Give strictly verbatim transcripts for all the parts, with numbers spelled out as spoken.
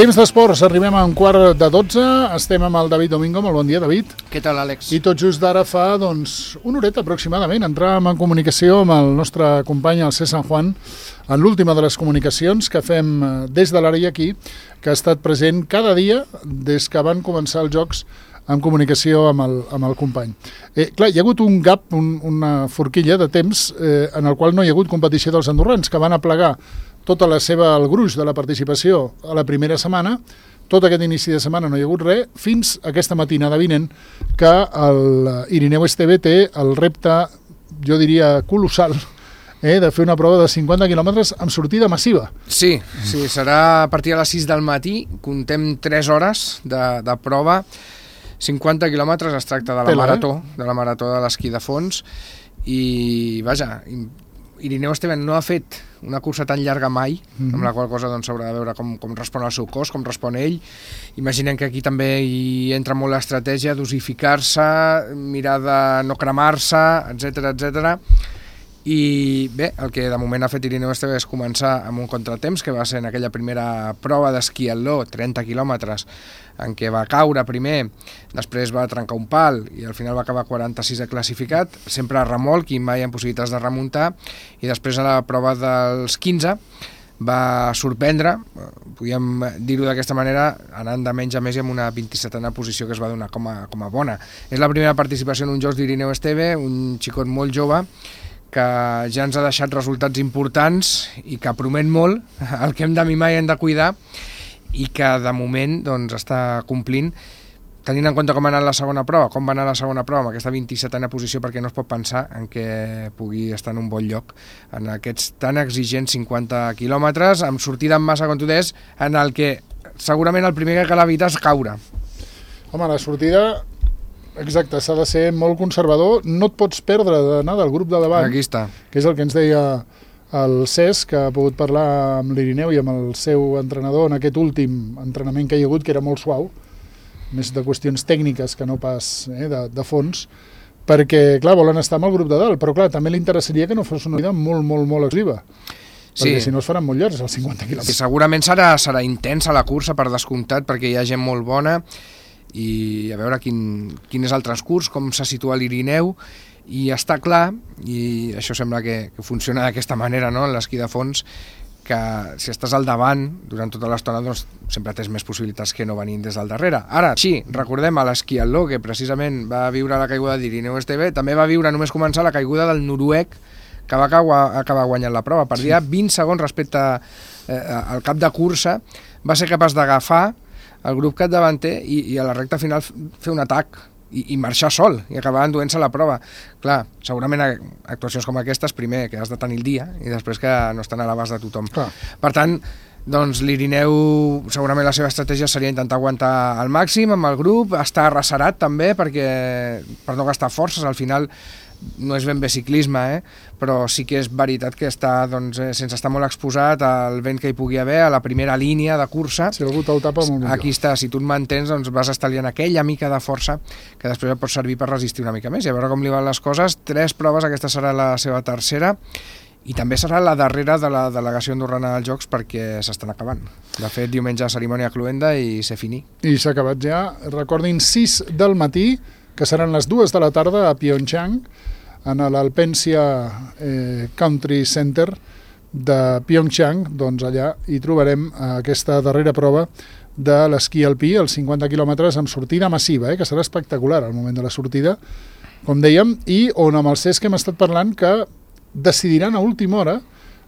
Temps d'esports, arribem a un quart de dotze, estem amb el David Domingo. Molt bon dia, David. Què tal, Àlex? I tot just d'ara fa, doncs, una horeta aproximadament, entràvem en comunicació amb el nostre company, el C. San Juan, en l'última de les comunicacions que fem des de l'àrea aquí, que ha estat present cada dia des que van començar els Jocs en comunicació amb el, amb el company. Eh, clar, hi ha hagut un gap, un, una forquilla de temps eh, en el qual no hi ha hagut competició dels andorrans, que van aplegar tota la seva, el gruix de la participació a la primera setmana. Tot aquest inici de setmana no hi ha hagut res, fins aquesta matinada vinent que el Irineu Esteve té el repte, jo diria, colossal, eh, de fer una prova de cinquanta quilòmetres amb sortida massiva. Sí, sí, serà a partir de les sis del matí, contem tres hores de, de prova, cinquanta quilòmetres, es tracta de la Pela, marató, eh? de la marató de l'esquí de fons, i vaja, Irineu Esteve no ha fet una cursa tan llarga mai, mm-hmm. amb la qual cosa doncs, s'haurà de veure com, com respon el seu cos, com respon ell. Imaginem que aquí també hi entra molt l'estratègia d'osificar-se, mirar de no cremar-se, etcètera, etcètera. I bé, el que de moment ha fet Irineu Esteve és començar amb un contratemps, que va ser en aquella primera prova d'esquí atló, trenta quilòmetres, en què va caure primer, després va trencar un pal i al final va acabar quaranta-sisè classificat, sempre a remolc i mai amb possibilitats de remuntar, i després a la prova dels quinze va sorprendre, podríem dir-ho d'aquesta manera, anant de menys a més i amb una vint-i-setena posició que es va donar com a, com a bona. És la primera participació en un Jocs d'Irineu Esteve, un xicot molt jove, que ja ens ha deixat resultats importants i que promet molt, el que hem de mimar i hem de cuidar, i que de moment doncs, està complint, tenint en compte com ha anat la segona prova, com va anar la segona prova amb aquesta vint-i-setena posició, perquè no es pot pensar en què pugui estar en un bon lloc en aquests tan exigents cinquanta quilòmetres, amb sortida en massa, com tu deies, en el que segurament el primer que cal evitar és caure. Home, la sortida, exacte, s'ha de ser molt conservador, no et pots perdre d'anar del grup de davant, Aquí està. que és el que ens deia el Cesc, que ha pogut parlar amb l'Irineu i amb el seu entrenador en aquest últim entrenament que hi ha hagut, que era molt suau, més de qüestions tècniques que no pas eh, de, de fons, perquè, clar, volen estar amb el grup de dalt, però, clar, també li interessaria que no fos una vida molt, molt, molt exclusiva, perquè Sí. si no es faran molt llargs, els cinquanta quilòmetres. I segurament serà, serà intensa la cursa, per descomptat, perquè hi ha gent molt bona, i a veure quin, quin és el transcurs, com se situa l'Irineu, i està clar, i això sembla que, que funciona d'aquesta manera, no?, en l'esquí de fons, que si estàs al davant durant tota l'estona, doncs sempre tens més possibilitats que no venint des del darrere. Ara, sí, recordem a l'esquí atló, que precisament va viure la caiguda d'Irineu Esteve, també va viure només començar la caiguda del noruec, que va acabar, acabar guanyant la prova. Perdia sí. vint segons respecte eh, al cap de cursa, va ser capaç d'agafar el grup capdavanter i, i a la recta final fer un atac i, i marxar sol, i acabar enduent-se la prova. Clar, segurament actuacions com aquestes, primer, que has de tenir el dia, i després que no estan a l'abast de tothom. Clar. Per tant, doncs l'Irineu, segurament la seva estratègia seria intentar aguantar al màxim amb el grup, estar arrecerat també, perquè per no gastar forces, al final no és ben bé ciclisme, eh? Però sí que és veritat que està, doncs, eh, sense estar molt exposat al vent que hi pugui haver, a la primera línia de cursa. Si algú te'l tapa, molt millor. Aquí està, si tu et mantens, doncs vas estalviant aquella mica de força que després et pot servir per resistir una mica més. I a veure com li van les coses. Tres proves, aquesta serà la seva tercera, i també serà la darrera de la delegació andorrana dels Jocs, perquè s'estan acabant. De fet, diumenge cerimònia cluenda i se finí. I s'ha acabat ja. Recordin, sis del matí, que seran les dues de la tarda a Pyeongchang, en l'Alpensia eh, Country Center de Pyeongchang. Doncs allà hi trobarem aquesta darrera prova de l'esquí alpí, els cinquanta quilòmetres amb sortida massiva, eh, que serà espectacular al moment de la sortida, com dèiem, i on amb el Cesc hem estat parlant que decidiran a última hora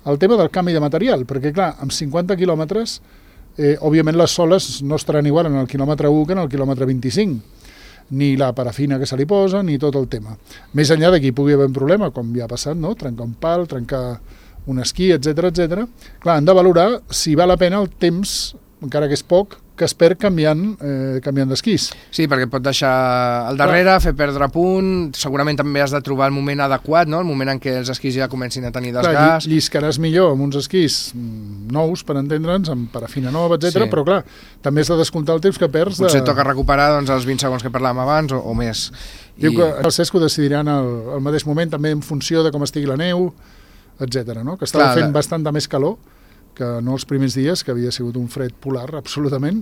el tema del canvi de material, perquè clar, amb cinquanta quilòmetres, eh, òbviament les soles no estaran igual en el quilòmetre u que en el quilòmetre vint-i-cinc, ni la parafina que se li posa, ni tot el tema. Més enllà d'aquí pugui haver un problema, com ja ha passat, no? Trencar un pal, trencar un esquí, etcètera, etcètera. Clar, han de valorar si val la pena el temps, encara que és poc, que es perd canviant, eh, canviant d'esquís. Sí, perquè et pot deixar al darrere, clar, fer perdre punt, segurament també has de trobar el moment adequat, no?, el moment en què els esquís ja comencin a tenir desgast. Clar, lliscaràs millor amb uns esquís nous, per entendre'ns, amb parafina nova, etcètera, sí. Però clar, també has de descomptar el temps que perds. Potser de... toca recuperar doncs, els vint segons que parlàvem abans o, o més. Diu I... que el Cesc ho decidiran al, al mateix moment, també en funció de com estigui la neu, etcètera, no? Que estava clar, fent la... bastant de més calor, que no els primers dies, que havia sigut un fred polar, absolutament.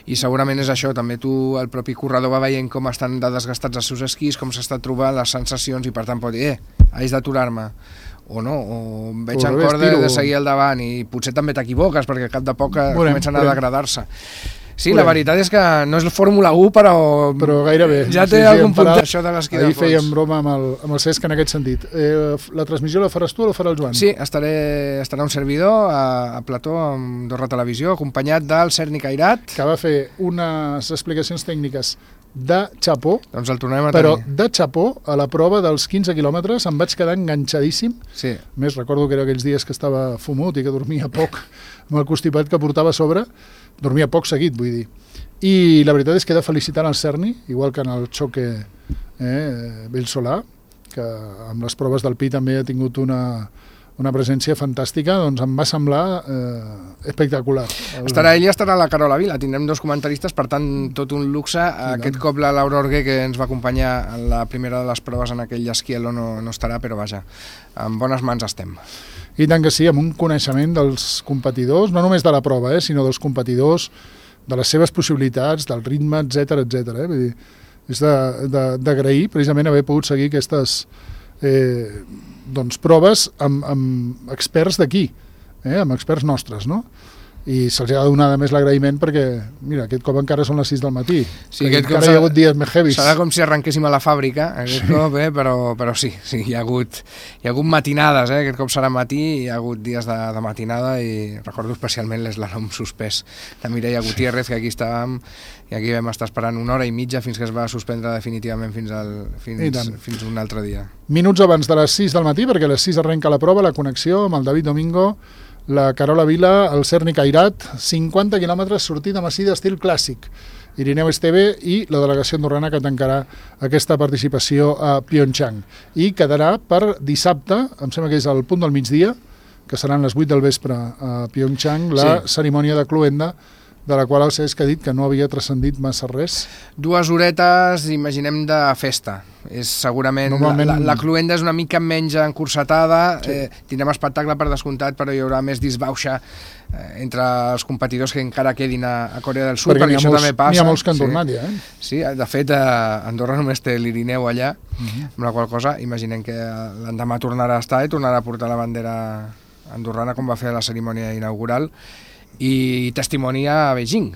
I segurament és això, també tu, el propi corredor va veient com estan de desgastats els seus esquís, com s'està trobant les sensacions, i per tant pot dir, eh, haig d'aturar-me, o no, o veig en cor de, de seguir al davant, i potser també t'equivoques, perquè cap de poc veurem, comencen a veurem. degradar-se. Sí, veurem. La veritat és que no és la Fórmula u, però, però gairebé. Ja té sí, sí, algun punt d'això de l'esquí de fons. Ahir fèiem broma amb el, amb el Cesc en aquest sentit. Eh, la transmissió la faràs tu o la farà el Joan? Sí, estaré, estarà un servidor a, a plató amb Andorra Televisió, acompanyat del Serni Cairat, que va fer unes explicacions tècniques de xapó, doncs el tornem a però tenir. de xapó a la prova dels quinze quilòmetres em vaig quedar enganxadíssim. Sí. A més, recordo que era aquells dies que estava fumut i que dormia poc amb el constipat que portava a sobre, dormia poc seguit, vull dir. I la veritat és que he de felicitar el Cerny, igual que en el xoque eh, Bellsolà, que amb les proves del Pi també ha tingut una, una presència fantàstica, doncs em va semblar eh, espectacular. Estarà ell i estarà la Carola Vila, tindrem dos comentaristes, per tant, tot un luxe. Sí, aquest cop la Laura Orguer, que ens va acompanyar en la primera de les proves en aquell esquielo, no, no estarà, però vaja, en bones mans estem. I tant que sí, amb un coneixement dels competidors, no només de la prova, eh, sinó dels competidors, de les seves possibilitats, del ritme, etcètera, etcètera. Eh? Vull dir, és d'agrair precisament haver pogut seguir aquestes eh, doncs, proves amb, amb experts d'aquí, eh? amb experts nostres, no? I se'ls ha de donar més l'agraïment perquè, mira, aquest cop encara són les sis del matí, sí, aquest encara hi ha hagut dies més heavies. Serà com si arrenquéssim a la fàbrica, aquest sí. cop, eh? però, però sí, sí hi, ha hagut, hi ha hagut matinades, eh? Aquest cop serà matí, hi ha hagut dies de, de matinada, i recordo especialment l'eslàlom suspès de Mireia Gutiérrez, sí. que aquí estàvem, i aquí vam estar esperant una hora i mitja fins que es va suspendre definitivament fins, al, fins, fins un altre dia. Minuts abans de les sis del matí, perquè a les sis arrenca la prova, la connexió amb el David Domingo, la Carola Vila, el Serni Cairat, cinquanta quilòmetres sortida amb esquí d'estil clàssic. Irineu Esteve i la delegació andorrana que tancarà aquesta participació a Pyeongchang. I quedarà per dissabte, em sembla que és al punt del migdia, que seran les vuit del vespre a Pyeongchang, la sí. cerimònia de cloenda, de la qual el Cesc ha dit que no havia transcendit massa res. Dues horetes, imaginem, de festa. És segurament... Normalment... La, la, la cloenda és una mica menys encursetada, sí. eh, tindrem espectacle per descomptat, però hi haurà més disbauxa eh, entre els competidors que encara quedin a, a Corea del Sud, perquè, perquè això molts, també passa. N'hi ha molts que han tornat sí. ja, eh? Sí, de fet, eh, Andorra només té l'Irineu allà, uh -huh. amb la qual cosa imaginem que l'endemà tornarà a estar i tornarà a portar la bandera andorrana, com va fer a la cerimònia inaugural, i testimoni a Beijing,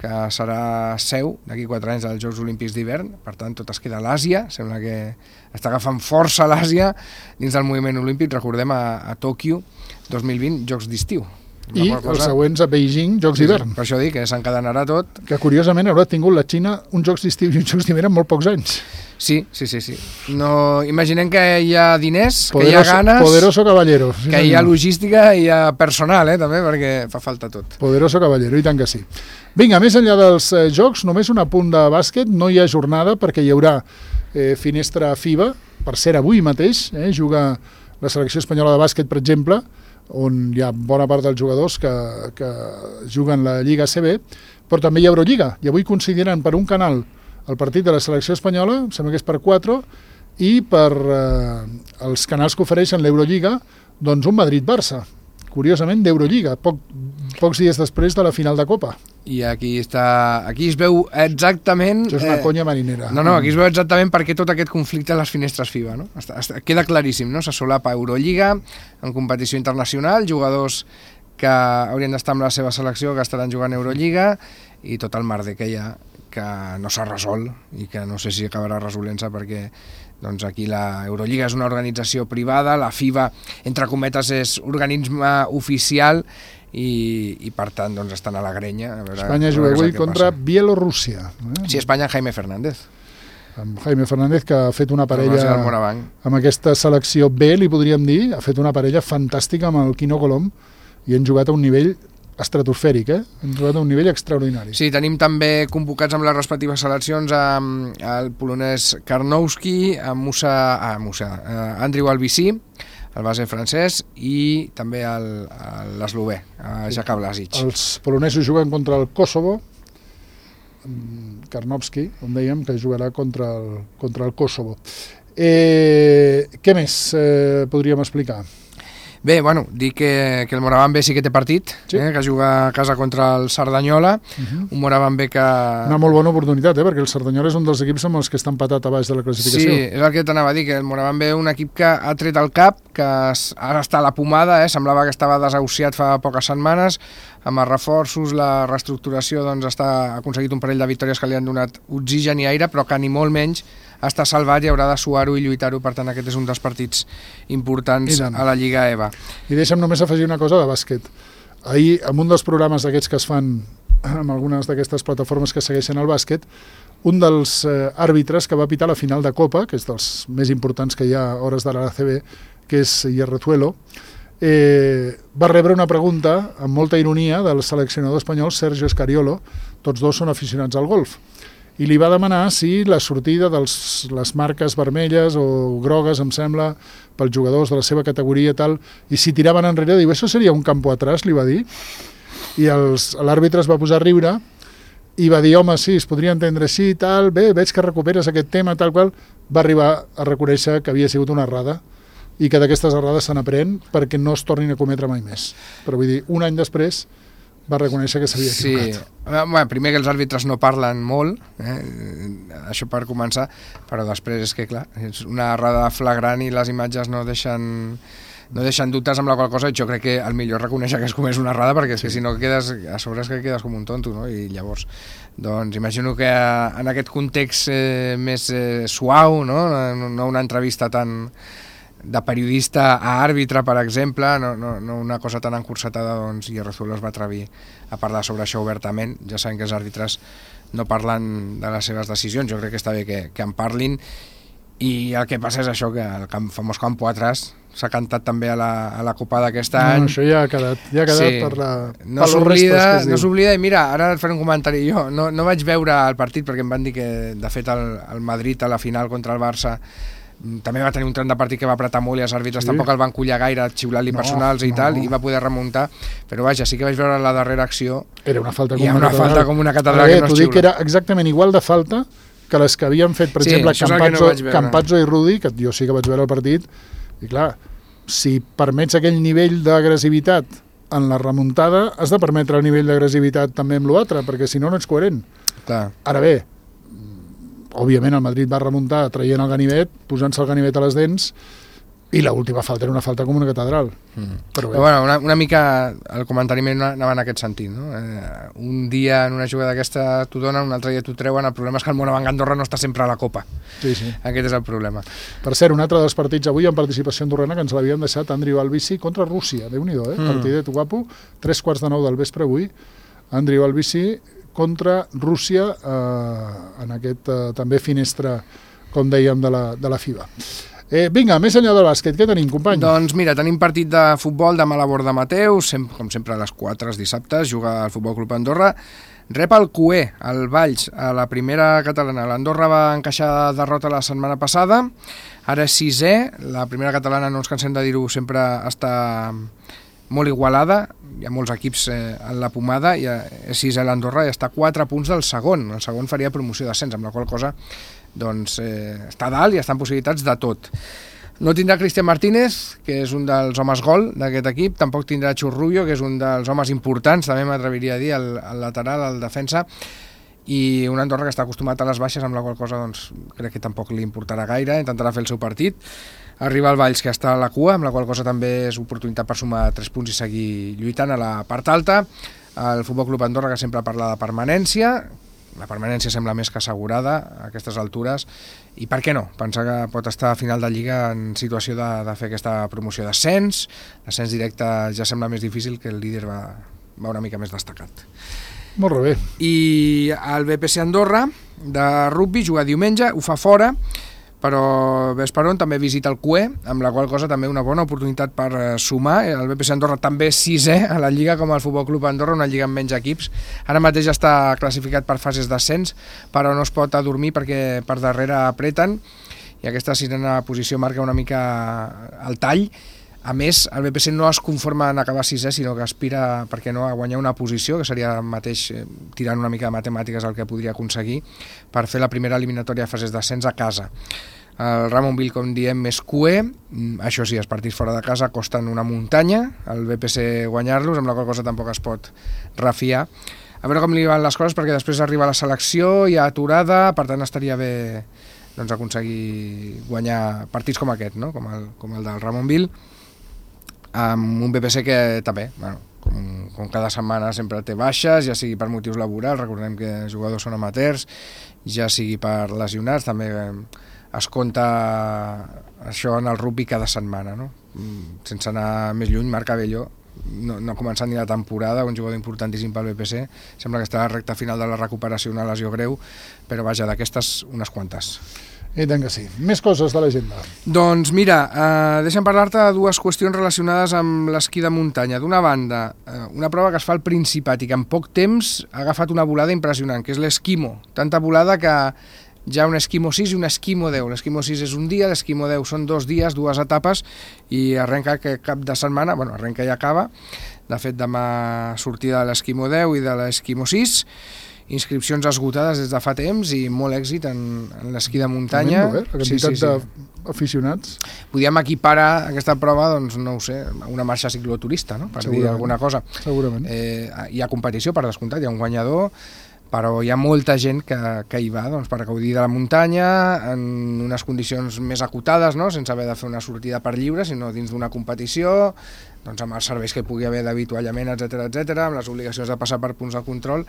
que serà seu d'aquí quatre anys dels Jocs Olímpics d'hivern, per tant tot es queda a l'Àsia, sembla que està agafant força l'Àsia dins del moviment olímpic, recordem a, a Tòquio dos mil vint, Jocs d'estiu. I cosa... els següents a Beijing, Jocs d'hivern. Sí, per això dic que s'encadenarà tot. Que curiosament haurà tingut la Xina uns Jocs d'estiu i uns Jocs d'hivern en molt pocs anys. Sí, sí, sí, sí. No, imaginem que hi ha diners, poderoso, que hi ha ganes... Poderoso caballero. Sí, que hi ha logística i hi ha personal, eh, també, perquè fa falta tot. Poderoso caballero, i tant que sí. Vinga, més enllà dels eh, Jocs, només un apunt de bàsquet, no hi ha jornada perquè hi haurà eh, finestra FIBA, per ser avui mateix, eh, juga la selecció espanyola de bàsquet, per exemple, on hi ha bona part dels jugadors que, que juguen la Lliga A C B, però també hi ha Eurolliga, i avui consideren per un canal el partit de la selecció espanyola, em sembla que és per quatre, i per eh, els canals que ofereixen l'Eurolliga, doncs un Madrid-Barça, curiosament d'Eurolliga, poc, pocs dies després de la final de Copa. I aquí està, aquí es veu exactament... Això és una eh, conya marinera. No, no, aquí es veu exactament per què tot aquest conflicte a les finestres FIBA, no? Està, està, queda claríssim, no? Se solapa Eurolliga, en competició internacional, jugadors que haurien d'estar amb la seva selecció, que estaran jugant Eurolliga, i tot el merder que hi ha, que no s'ha resolt, i que no sé si acabarà resolent-se, perquè doncs aquí la Eurolliga és una organització privada, la FIBA, entre cometes, és organisme oficial, i, i per tant doncs estan a la grenya. A veure, Espanya juga avui contra Bielorússia. Eh? Sí, Espanya, Jaime Fernández. Amb Jaime Fernández, que ha fet una parella amb aquesta selecció B, li podríem dir, ha fet una parella fantàstica amb el Quino Colom, i han jugat a un nivell estratosfèric, eh? Han jugat a un nivell extraordinari. Sí, tenim també convocats amb les respectives seleccions amb el polonès Karnowski, amb Musa, ah, Musa, uh, Andriu Albicí, el base francès, i també l'eslovè, Jaka Blasic. Els polonesos juguen contra el Kosovo, Karnowski, com dèiem, que jugarà contra el, contra el Kosovo. Eh, què més eh, podríem explicar? Bé, bueno, dir que, que el Moraván B sí que té partit, sí. eh, que juga a casa contra el Cerdanyola, uh-huh. un Moraván B que... Una molt bona oportunitat, eh, perquè el Cerdanyola és un dels equips amb els que estan empatat a baix de la classificació. Sí, és el que t'anava a dir, que el Moraván B un equip que ha tret el cap, que ara està a la pomada, eh, semblava que estava desahuciat fa poques setmanes, amb els reforços, la reestructuració, doncs està ha aconseguit un parell de victòries que li han donat oxigen i aire, però que ni molt menys està salvat i haurà de suar-ho i lluitar-ho, per tant aquest és un dels partits importants a la Lliga E V A. I deixa'm només afegir una cosa de bàsquet. Ahir, en un dels programes d'aquests que es fan amb algunes d'aquestes plataformes que segueixen el bàsquet, un dels eh, àrbitres que va pitar la final de Copa, que és dels més importants que hi ha a hores d'ara a la A C B, que és Hierrezuelo, eh, va rebre una pregunta amb molta ironia del seleccionador espanyol Sergio Escariolo, tots dos són aficionats al golf, i li va demanar si la sortida de les marques vermelles o grogues, em sembla, pels jugadors de la seva categoria i tal, i si tiraven enrere, diu, això seria un campo atrás, li va dir, i l'àrbitre es va posar a riure i va dir, home, sí, es podria entendre així i tal, bé, veig que recuperes aquest tema, tal qual, va arribar a reconèixer que havia sigut una errada i que d'aquestes errades se n'aprèn perquè no es tornin a cometre mai més. Però vull dir, un any després va reconèixer que s'havia equivocat. Sí, bueno, primer que els àrbitres no parlen molt, eh? això per començar, però després és que, clar, és una errada flagrant i les imatges no deixen, no deixen dubtes amb la qual cosa, i jo crec que el millor és reconèixer que es comés una errada, perquè sí. si no quedes, a sobre és que quedes com un tonto, no? I llavors, doncs imagino que en aquest context eh, més eh, suau, no? no una entrevista tan de periodista a àrbitre, per exemple, no, no, no una cosa tan encursetada, doncs Hierrezuelo es va atrevir a parlar sobre això obertament. Ja sabem que els àrbitres no parlen de les seves decisions, jo crec que està bé que, que en parlin, i el que passa és això, que el camp, famós Campo Atrás s'ha cantat també a la, a la Copa d'aquest no, any. Això ja ha quedat, ja ha quedat sí. per, la, no per los restos que es diu. No s'oblida, i mira, ara et faré un comentari jo, no, no vaig veure el partit perquè em van dir que, de fet, el, el Madrid a la final contra el Barça també va tenir un tram de partit que va apretar molt i els àrbitres sí. tampoc el van collar gaire, xiulant-li no, personals i no. tal, i va poder remuntar, però vaja, sí que vaig veure la darrera acció, era una falta com una, una falta com una catedral que no es xiula. T'ho dic que era exactament igual de falta que les que havien fet, per sí, exemple, Campazzo, no Campazzo i Rudi, que jo sí que vaig veure el partit, i clar, si permets aquell nivell d'agressivitat en la remuntada, has de permetre el nivell d'agressivitat també amb l'altre, perquè si no, no ets coherent. Clar. Ara bé, òbviament el Madrid va remuntar traient el ganivet, posant-se el ganivet a les dents, i l'última falta era una falta com una catedral. Mm. Però bé. Però bueno, una, una mica el comentari meu anava en aquest sentit, no? Eh, un dia en una jugada d'aquesta t'ho donen, un altre dia t'ho treuen, el problema és que el Moraván Andorra no està sempre a la Copa. Sí, sí. Aquest és el problema. Per cert, un altre dels partits avui en participació andorrana que ens l'havien deixat Andriu Albici contra Rússia, Déu-n'hi-do, eh? Mm. Partidet guapo, tres quarts de nou del vespre avui, Andriu Albici contra Rússia eh, en aquest eh, també finestra, com dèiem, de la, de la FIBA. Eh, vinga, més enllà del bàsquet, què tenim, company? Doncs mira, tenim partit de futbol demà a la Borda Mateu, sem com sempre a les quatre els dissabtes, juga el Futbol Club Andorra, rep el Q E, el Valls, a la primera catalana. L'Andorra va encaixar derrota la setmana passada, ara és sisè, la primera catalana, no ens cansem de dir-ho, sempre està molt igualada, hi ha molts equips eh, en la pomada, i és sisè l'Andorra i està a quatre punts del segon, el segon faria promoció d'ascens, amb la qual cosa doncs eh, està dalt i està en possibilitats de tot. No tindrà Cristian Martínez, que és un dels homes gol d'aquest equip, tampoc tindrà Churrullo, que és un dels homes importants, també m'atreviria a dir, el, el lateral, el defensa, i un Andorra que està acostumat a les baixes, amb la qual cosa doncs, crec que tampoc li importarà gaire, intentarà fer el seu partit. Arriba el Valls, que està a la cua, amb la qual cosa també és oportunitat per sumar tres punts i seguir lluitant a la part alta. El Futbol Club Andorra, que sempre parla de permanència, la permanència sembla més que assegurada a aquestes altures, i per què no? Pensar que pot estar a final de Lliga en situació de, de fer aquesta promoció d'ascens, l'ascens directe ja sembla més difícil, que el líder va, va una mica més destacat. Molt bé. I el B P C Andorra de rugby juga diumenge, ho fa fora, però Vesperon també visita el Q E, amb la qual cosa també una bona oportunitat per sumar. El B P C Andorra també sisè a la Lliga, com el Futbol Club Andorra, una lliga amb menys equips. Ara mateix està classificat per fases d'ascens, però no es pot adormir perquè per darrere apreten, i aquesta sisena posició marca una mica el tall. A més, el B P C no es conforma en acabar sisè, sinó que aspira, perquè no, a guanyar una posició, que seria mateix, eh, tirant una mica de matemàtiques el que podria aconseguir, per fer la primera eliminatòria de fases d'ascens a casa. El Ramonville, com diem, és Q E, això sí, els partits fora de casa costen una muntanya, el B P C guanyar-los, amb la qual cosa tampoc es pot refiar. A veure com li van les coses, perquè després arriba la selecció, hi ha aturada, per tant estaria bé doncs, aconseguir guanyar partits com aquest, no? com, el, com el del Ramonville, amb un B P C que també, bueno, com, com cada setmana sempre té baixes, ja sigui per motius laborals, recordem que els jugadors són amateurs, ja sigui per lesionats, també es compta això en el rugby cada setmana, no? Sense anar més lluny, Marc Abelló no, no ha començat ni la temporada, un jugador importantíssim pel B P C, sembla que està a la recta final de la recuperació, una lesió greu, però vaja, d'aquestes unes quantes. I tant que sí. Més coses de l'agenda. Doncs mira, eh, deixa'm parlar-te de dues qüestions relacionades amb l'esquí de muntanya. D'una banda, eh, una prova que es fa al Principat i que en poc temps ha agafat una volada impressionant, que és l'esquimo. Tanta volada que hi ha un esquimo sis i un esquimo deu. L'esquimo sis és un dia, l'esquimo deu són dos dies, dues etapes, i arrenca aquest cap de setmana, bueno, arrenca i acaba. De fet, demà sortida de l'esquimo deu i de l'esquimo sis, inscripcions esgotades des de fa temps i molt èxit en, en l'esquí de muntanya. Tremendo, eh? La quantitat sí, sí, sí. d'aficionats. Podíem equiparar aquesta prova, doncs, no ho sé, a una marxa cicloturista, no? Per dir alguna cosa. Segurament. Eh, hi ha competició, per descomptat, hi ha un guanyador, però hi ha molta gent que, que hi va doncs, per gaudir de la muntanya en unes condicions més acotades, no? Sense haver de fer una sortida per lliure, sinó dins d'una competició, doncs, amb els serveis que hi pugui haver d'avituallament, etcètera, etcètera, amb les obligacions de passar per punts de control,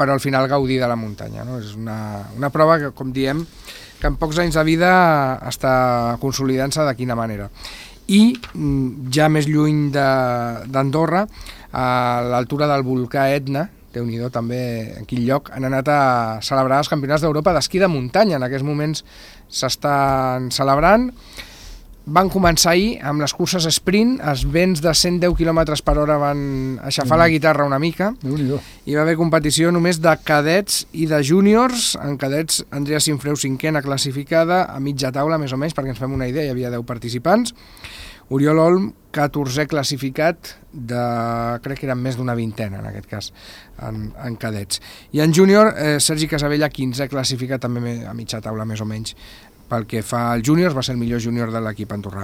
però al final gaudir de la muntanya, no? És una, una prova que, com diem, que en pocs anys de vida està consolidant-se de quina manera. I ja més lluny d'Andorra, a l'altura del volcà Etna, Déu-n'hi-do també en quin lloc, han anat a celebrar els campionats d'Europa d'esquí de muntanya. En aquests moments s'estan celebrant. Van començar ahir amb les curses sprint, els vents de cent deu quilòmetres per hora van aixafar mm. la guitarra una mica. Déu-n'hi-do. Hi va haver competició només de cadets i de júniors. En cadets, Andrea Sinfreu, cinquena classificada, a mitja taula més o menys, perquè ens fem una idea, hi havia deu participants. Oriol Olm, catorzè classificat, de, crec que eren més d'una vintena en aquest cas, en, en cadets. I en júnior, eh, Sergi Casabella, quinzè classificat, també a mitja taula més o menys. Pel que fa al júnior, va ser el millor júnior de l'equip andorrà.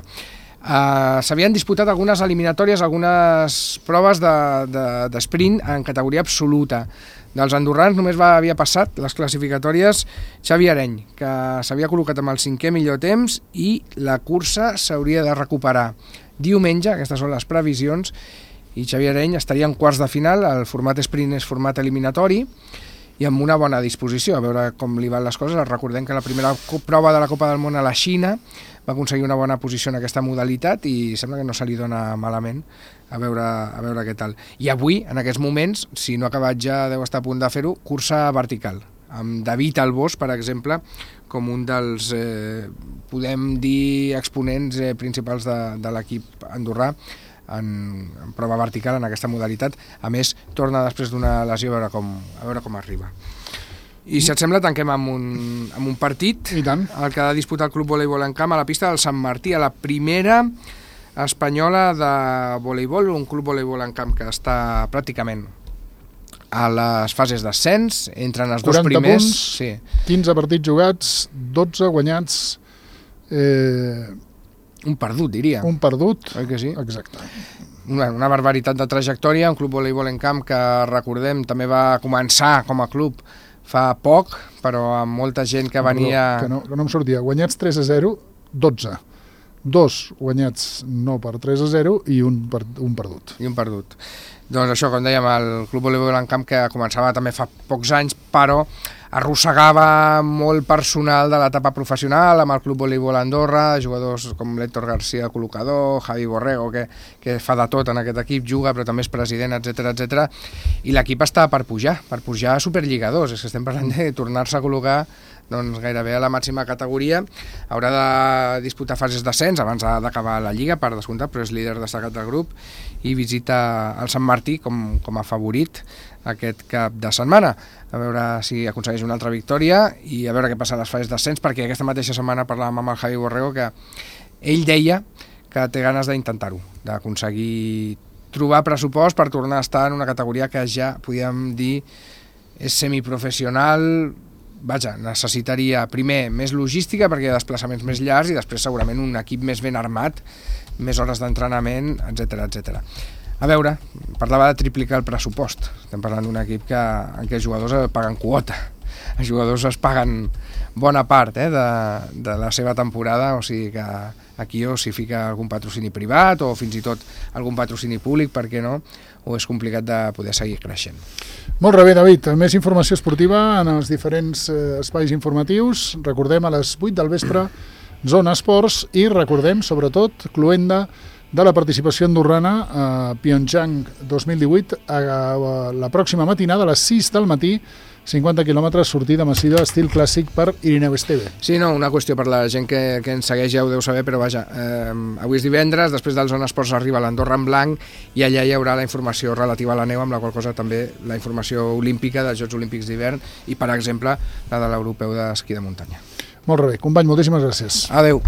Uh, S'havien disputat algunes eliminatòries, algunes proves de, de, de sprint en categoria absoluta. Dels andorrans només va, havia passat les classificatòries Xavi Areny, que s'havia col·locat amb el cinquè millor temps, i la cursa s'hauria de recuperar diumenge, aquestes són les previsions, i Xavi Areny estaria en quarts de final. El format sprint és format eliminatori i amb una bona disposició, a veure com li van les coses. Recordem que la primera prova de la Copa del Món a la Xina va aconseguir una bona posició en aquesta modalitat i sembla que no se li dona malament. A veure, a veure què tal. I avui, en aquests moments, si no ha acabat ja, deu estar a punt de fer-ho, cursa vertical, amb David Albós, per exemple, com un dels, eh, podem dir, exponents eh, principals de, de l'equip andorrà en, en prova vertical en aquesta modalitat. A més, torna després d'una lesió a veure com, a veure com arriba. I si et sembla, tanquem amb un, amb un partit, I tant. El que ha de disputar el Club Voleibol en Camp a la pista del Sant Martí, a la primera espanyola de voleibol, un club voleibol en camp que està pràcticament a les fases d'ascens, entren els dos primers. Punts, sí. quinze partits jugats, dotze guanyats, eh... un perdut, diria. Un perdut, oi que sí? Exacte. Una, una barbaritat de trajectòria, un club voleibol en camp que, recordem, també va començar com a club fa poc, però amb molta gent que venia... Que no, que no em sortia. Guanyats tres a zero, dotze. Dos guanyats no per tres a zero i un, per, un perdut. I un perdut. Doncs això, com dèiem, el Club Voleibol en Camp, que començava també fa pocs anys, però arrossegava molt personal de l'etapa professional amb el Club Voleibol Andorra, jugadors com l'Héctor García, col·locador, Javi Borrego, que, que fa de tot en aquest equip, juga, però també és president, etcètera, etcètera. I l'equip està per pujar, per pujar a Superlliga dos. És que estem parlant de tornar-se a col·locar doncs gairebé a la màxima categoria. Haurà de disputar fases d'ascens abans d'acabar la Lliga, per descomptat, però és líder destacat del grup i visita el Sant Martí com, com a favorit aquest cap de setmana. A veure si aconsegueix una altra victòria i a veure què passa a les fases d'ascens, perquè aquesta mateixa setmana parlàvem amb el Javi Borrego que ell deia que té ganes d'intentar-ho, d'aconseguir trobar pressupost per tornar a estar en una categoria que ja podíem dir és semiprofessional, vaja, necessitaria primer més logística perquè hi ha desplaçaments més llargs i després segurament un equip més ben armat, més hores d'entrenament, etcètera, etcètera. A veure, parlava de triplicar el pressupost. Estem parlant d'un equip que, en què els jugadors paguen quota. Els jugadors es paguen bona part eh, de, de la seva temporada, o sigui que aquí o s'hi fica algun patrocini privat o fins i tot algun patrocini públic, per què no? O és complicat de poder seguir creixent. Molt bé, David. Més informació esportiva en els diferents eh, espais informatius. Recordem a les vuit del vespre Zona Esports i recordem, sobretot, cloenda de la participació andorrana a Pyeongchang dos mil divuit a, a la pròxima matinada a les sis del matí, cinquanta quilòmetres, sortida massiva estil clàssic per Irineu Esteve. Sí, no, una qüestió per la gent que, que ens segueix, ja ho deu saber, però vaja, eh, avui és divendres, després del Zona Esports arriba l'Andorra en blanc i allà hi haurà la informació relativa a la neu, amb la qual cosa també la informació olímpica dels Jocs Olímpics d'hivern i, per exemple, la de l'Europeu d'esquí de muntanya. Molt bé, company, moltíssimes gràcies. Adéu.